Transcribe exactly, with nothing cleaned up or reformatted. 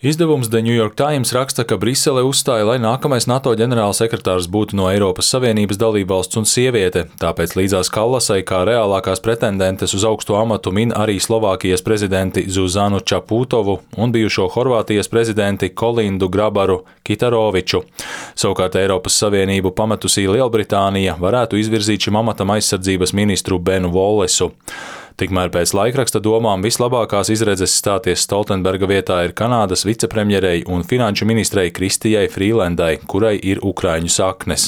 Izdevums The New York Times raksta, ka Brisele uzstāja, lai nākamais NATO ģenerālsekretārs būtu no Eiropas Savienības dalībvalsts un sieviete, tāpēc līdzās Kallasai kā reālākās pretendentes uz augsto amatu min arī Slovākijas prezidenti Zuzanu Čaputovu un bijušo Horvātijas prezidenti Kolindu Grabaru Kitaroviču. Savukārt Eiropas Savienību pametusī Lielbritānija varētu izvirzīt šim amatam aizsardzības ministru Benu Vollesu. Tikmēr pēc laikraksta domām vislabākās izredzes stāties Stoltenberga vietā ir Kanādas vicepremjerei un finanšu ministrei Kristijai Frīlendai, kurai ir ukraiņu saknes.